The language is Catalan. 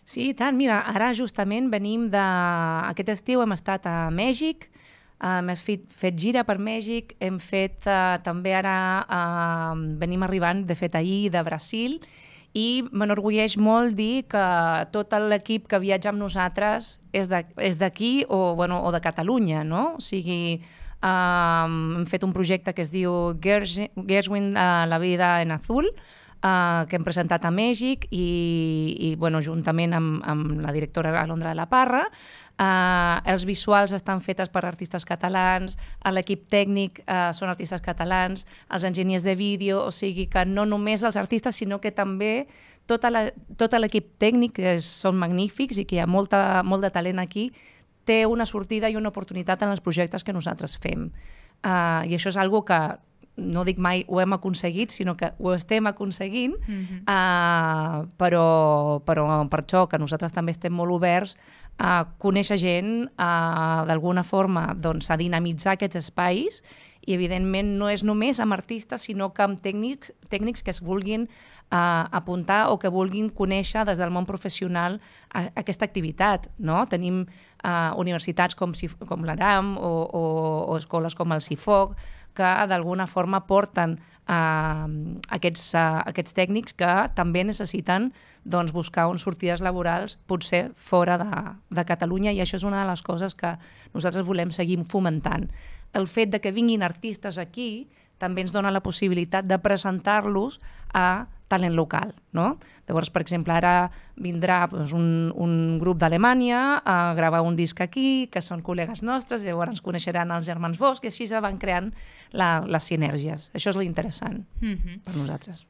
Sí, i tant. Mira, ara justament venim de... Aquest estiu hem estat a Mèxic, hem fet gira per Mèxic, hem fet també ara... venim arribant, de fet, ahir de Brasil, i m'enorgulleix molt dir que tot l'equip que viatja amb nosaltres és d'aquí o de Catalunya, no? O sigui, hem fet un projecte que es diu Gershwin, la vida en azul, que hem presentat a Mèxic i juntament amb la directora Alondra de la Parra. Els visuals estan fetes per artistes catalans, l'equip tècnic són artistes catalans, els enginyers de vídeo, o sigui que no només els artistes, sinó que també tot l'equip tècnic, que són magnífics i que hi ha molt de talent aquí, té una sortida i una oportunitat en els projectes que nosaltres fem. I això és una cosa que no dic mai ho hem aconseguit, sinó que ho estem aconseguint, però per això que nosaltres també estem molt oberts a conèixer gent, d'alguna forma a dinamitzar aquests espais, i evidentment no és només amb artistes, sinó que amb tècnics que es vulguin apuntar o que vulguin conèixer des del món professional aquesta activitat. Tenim universitats com l'Aram o escoles com el CIFOC, que d'alguna forma porten aquests tècnics que també necessiten buscar unes sortides laborals potser fora de Catalunya, i això és una de les coses que nosaltres volem seguir fomentant. El fet de que vinguin artistes aquí també ens dona la possibilitat de presentar-los a talent local. Llavors, per exemple, ara vindrà un grup d'Alemanya a gravar un disc aquí, que són col·legues nostres, i llavors ens coneixeran els germans Bosch, i així se van creant les sinergies. Això és l'interessant per nosaltres.